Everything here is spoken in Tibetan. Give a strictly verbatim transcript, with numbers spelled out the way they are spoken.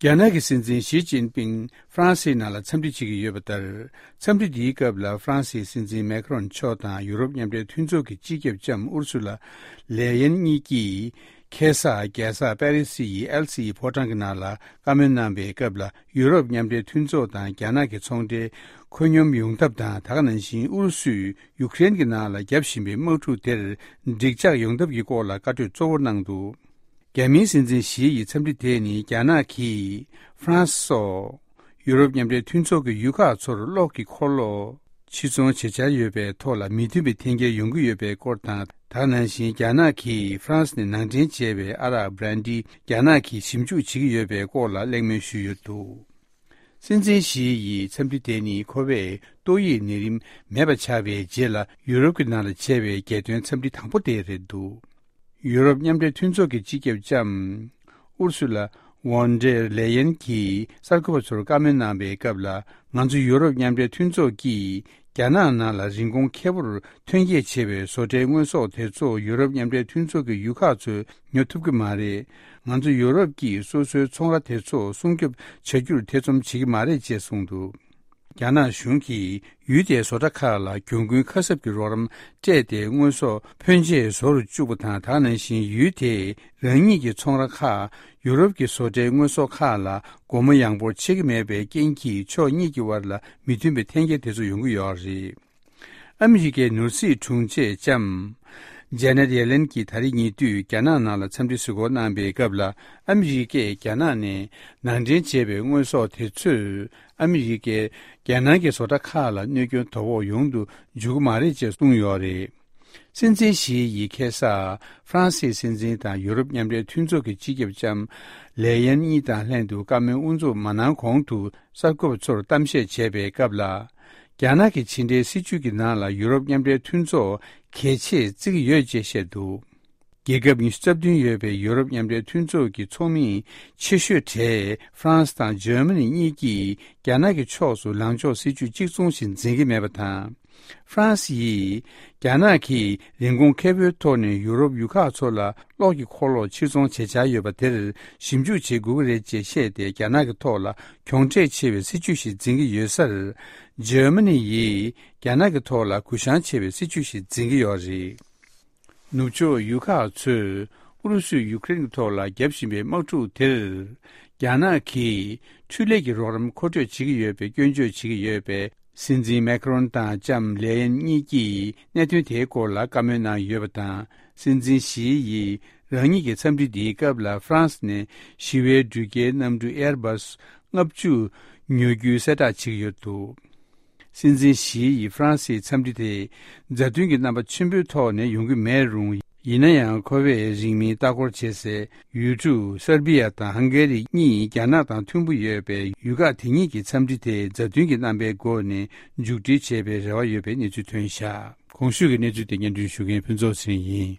རྒྱ་ནག་གི་སྲིད་འཛིན་ཞི་ཅིན་ཕིང་ཧྥ་རན་སིའི་ནང་ལ་འཚམས་འདྲི་བྱེད་ཀྱི་ཡོད་པ་ལྟར། འཚམས་འདྲི་འདིའི་སྐབས་ལ་ཧྥ་རན་སིའི་སྲིད་འཛིན་མེ་ཁ་རོན་མཆོག་དང་ཡུ་རོབ་མཉམ་འབྲེལ་མཐུན་ཚོགས་ཀྱི་སྤྱི་ཁྱབ་ལྕམ་ཨུར་སུ་ལ་ལེ་ཡན་གཉིས་ཀྱིས་ཁ་སང་རྒྱལ་ས་པེ་རི་སི་ཡི་ཨེལ་སི་ཡི་ཕོ་བྲང་གི་ནང་ལ་བཀའ་མོལ་གནང་བའི་སྐབས་ལ། ཡུ་རོབ་མཉམ་འབྲེལ་མཐུན་ཚོགས་དང་རྒྱ་ནག་གི་ཚོང་འབྲེལ་ཁོད་སྙོམས་ཡོང་ཐབས་དང་། ད་ག་ནང་བཞིན་ཨུ་རུ་སུས་ཡུཀ་རེན་གྱི་ནང་ལ་བརྒྱབ་བཞིན་པའི་དམག་འཁྲུག་དེར་འགྲིག་འཇགས་ཡོང་ཐབས་ཀྱི་སྐོར་ལ་བཀའ་གྲོས་གཙོ་བོར་གནང་འདུག་རྒྱ་མིའི་སྲིད་འཛིན་ཞི་ཡི་འཚམས་འདྲི་དེ་ནི་རྒྱ་ནག་གིས་ཧྥ་རན་སི་སོགས་ཡུ་རོབ་མཉམ་འབྲེལ་མཐུན་ཚོགས་ཀྱི་ཡུལ་ཁག་ཚོར་གློག་གི་འཁོར་ལོ་ཕྱིར་ཚོང་བྱེད་འཆར་ཡོད་པའི་ཐོག་ལ་མི་མཐུན་པའི་འཐེན་འཁྱེར་ཡོང་གི་ཡོད་པའི་སྐོར་དང་། ད་ག་ནང་བཞིན་རྒྱ་ནག་གིས་ཧྥ་རན་སི་ནས་ནང་འདྲེན་བྱས་པའི་ཨ་རག་བྷ་རན་ཌི་རྒྱ་ནག་གིས་ཞིབ་འཇུག་བྱེད་ཀྱི་ཡོད་པའི་སྐོར་ལ་གླེང་མོལ་ཞུས་ཡོད་འདུག་སྲིད་འཛིན་ཞི་ཡི་འཚམས་འདྲི་དེ་ནི་ཁོ་པས་ཏོག་དབྱིབས་ནད་རིམས་མེད་པ་ཆགས་པའི་རྗེས་ལ་ཡུ་རོབ་ཀྱི་ནང་ལ་བྱས་པའི་རྒྱལ་དོན་འཚམས་འདྲི་དང་པོ་དེ་རེད་འདུག་ཡུ་རོབ་མཉམ་འབྲེལ་མཐུན་ཚོགས་ཀྱི་སྤྱི་ཁྱབ་ལྕམ་ཨུར་སུ་ལ་ཝོན་ཌེར་ལེ་ཡན་གྱིས་གསར་འགོད་པ་ཚོར་བཀའ་མོལ་གནང་བའི་སྐབས་ལ། ང་ཚོ་ཡུ་རོབ་མཉམ་འབྲེལ་མཐུན་ཚོགས་ཀྱིས་རྒྱ་ནག་ནང་ལ་རིན་གོང་ཁེ་པོར་ཐོན་སྐྱེད་བྱས་པའི་བཟོ་གྲྭའི་དངོས་ཟོག་དེ་ཚོ་ཡུ་རོབ་མཉམ་འབྲེལ་མཐུན་ཚོགས་ཀྱི་ཡུལ་ཁག་ཚོས་ཉོ་ཐུབ་ཀྱི་མ་རེད། ང་ཚོ་ཡུ་རོབ་ཀྱིས་སོ་སོའི་ཚོང་ར་དེ་ཚོ་སྲུང་སྐྱོབ་བྱ་རྒྱུར་ཐེ་ཚོམ་བྱེད་ཀྱི་མ་རེད་ཅེས་གསུངས་འདུག་རྒྱ་ནག་གཞུང་གིས་ཡུལ་དེའི་བཟོ་གྲྭ་ཁག་ལ་གྱོང་གུན་ཁ་གསབ་ཀྱི་རོགས་རམ་སྤྲད་དེ། དངོས་ཟོག་ཕོན་ཆེ་བཟོ་རུ་བཅུག་པ་དང་། ད་ག་ནང་བཞིན་ཡུལ་དེས་རང་ཉིད་ཀྱི་ཚོང་ར་ཁག་ཡུ་རོབ་ཀྱི་བཟོ་གྲྭའི་དངོས་ཟོག་ཁག་ལ་སྒོ་མོ་ཡངས་པོར་ཕྱེ་གི་མེད་པའི་རྐྱེན་གྱིས། ཕྱོགས་གཉིས་ཀྱི་དབར་ལ་མི་མཐུན་པའི་འཐེན་འཁྱེར་དེ་ཚོ་ཡོང་གི་ཡོད་རེད། ཨ་མི་རི་ཀའི་ནོར་སྲིད་དྲུང་ཆེ་ལྕམ་ཇེ་ནེད་ཡེ་ལེན་གྱིས་ད་རེས་ཉེ་དུས་རྒྱ་ནག་ནང་ལ་འཚམས་འདྲི་གཟིགས་སྐོར་གནང་པའི་སྐབས་ལ། ཨ་མི་རི་ཀས་རྒྱ་ནག་ནས་ནང་འདྲེན་བྱས་པའི་དངོས་ཟོག་དེ་ཚོས་ཨ་མི་རི་ཀའི་རྒྱལ་ནང་གི་བཟོ་གྲྭ་ཁག་ལ་གནོད་སྐྱོན་དོ་ཕོག་ཡོང་དུ་འཇུག་གི་མ་རེད་ཅེས་གསུངས་ཡོད་རེད། སྲིད་འཛིན་ཞི་ཡིས་ཁ་སང་ཧྥ་རན་སིའི་སྲིད་འཛིན་དང་ཡུ་རོབ་མཉམ་འབྲེལ་མཐུན་ཚོགས་ཀྱི་སྤྱི་ཁྱབ་ལྕམ་ལེ་ཡན་གཉིས་དང་ལྷན་དུ་བཀའ་མོལ་དབུ་འཛུགས་མ་གནང་གོང་དུ། གསར་འགོད་པ་ཚོར་གཏམ་བཤད་བྱས་པའི་སྐབས་ལ། རྒྱ་ནག་གི་ཕྱི་འབྲེལ་སྲིད་བྱུས་ཀྱི་ནང་ལ་ཡུ་རོབ་མཉམ་འབྲེལ་མཐུན་ཚོགས་གལ་ཆེར་བརྩི་གི་ཡོད་ཅེས་བཤད་འདུག་རྒྱལ་ཁབ་ཉི་ཤུ་རྩ་བདུན་ཡོད་པའི་ཡུ་རོབ་མཉམ་འབྲེལ་མཐུན་ཚོགས་ཀྱི་ཚོགས་མི་ཆེ་ཤོས་གྲས་ཧྥ་རན་སི་དང་འཇར་མ་ནི་གཉིས་ཀྱིས་རྒྱ་ནག་གི་ཕྱོགས་སུ་ལངས་ཕྱོགས་སྲིད་བྱུས་གཅིག་མཚུངས་ཤིག་འཛིན་གྱི་མེད་པ་དང་། ཧྥ་རན་སི་ཡིས་རྒྱ་ནག་གིས་རིན་གོང་ཁེ་པོའི་ཐོག་ནས་ཡུ་རོབ་ཡུལ་ཁག་ཚོ་ལ་གློག་གི་འཁོར་ལོ་ཕྱིར་ཚོང་བྱེད་འཆར་ཡོད་པ་དེར་ཞིབ་འཇུག་བྱེད་དགོས་ཀྱི་རེད་ཅེས་བཤད་དེ། རྒྱ་ནག་གི་ཐོག་ལ་གྱོང་ཁྲལ་ཆེ་བའི་སྲིད་བྱུས་ཤིག་འཛིན་གྱི་ཡོད་སར། འཇར་མ་ནི་ཡིས་རྒྱ་ནག་གི་ཐོག་ལ་གུ་བཤངས་ཆེ་བའི་སྲིད་བྱུས་ཤིག་འཛིན་གྱི་ཡོད་རེད། ནུབ་ཕྱོགས་ཡུལ་ཁག་ཚོས་ཨུ་རུ་སུས་ཡུཀ་རེན་གྱི་ཐོག་ལ་བརྒྱབ་བཞིན་པའི་དམག་འཁྲུག་དེར། རྒྱ་ནག་གིས་འཕྲུལ་ལས་ཀྱི་རོགས་རམ་མཁོ་སྤྲོད་བྱེད་ཀྱི་ཡོད་པའི་སྐྱོན་བརྗོད་བྱེད་ཀྱི་ཡོད་པས། སྲིད་འཛིན་མེ་ཁ་རོན་དང་ལྕམ་ལེ་ཡན་གཉིས་ཀྱིས་གནད་དོན་དེའི་སྐོར་ལ་བཀའ་མོལ་གནང་ཡོད་པ་དང་། སྲིད་འཛིན་ཞི་ཡིས་རང་ཉིད་ཀྱི་འཚམས་འདྲི་འདིའི་སྐབས་ལ་ཧྥ་རན་སི་ནས་ཞི་བའི་འགྲུལ་སྐྱེལ་གནམ་གྲུ་ཨེར་བྷ་སི་ལྔ་བཅུ་ཉོ་རྒྱུའི་གསལ་བསྒྲགས་བྱེད་ཀྱི་ཡོད་འདུག་སྲིད་འཛིན་ཞི་ཡི་ཧྥ་རན་སིའི་འཚམས་འདྲི་དེ་མཛའ་མཐུན་གྱི་རྣམ་པ་ཆེན་པོའི་ཐོག་ནས་ཡོང་གི་མེད་རུང་། ཡིན་ན་ཡང་། ཁོ་པས་རིང་མིན་ལྟ་སྐོར་བྱེད་སའི་ཡུལ་གྲུ་སར་བི་ཡ་དང་ཧང་གེ་རི་གཉིས་རྒྱ་ནག་དང་མཐུན་པོ་ཡོད་པས། ཡུལ་ཁག་དེ་གཉིས་ཀྱི་འཚམས་འདྲི་དེ་མཛའ་མཐུན་གྱི་རྣམ་པའི་སྒོ་ནས་མཇུག་སྒྲིལ་བྱེད་པའི་རེ་བ་ཡོད་པའི་གནས་ཚུལ་ཐོན་བཞག་གོང་ཞུས་ཀྱི་གནས་ཚུལ་དེ་སྙན་སྒྲོན་ཞུ་མཁན་ཕུན་ཚོགས་ཚེ་རིང་ཡིན།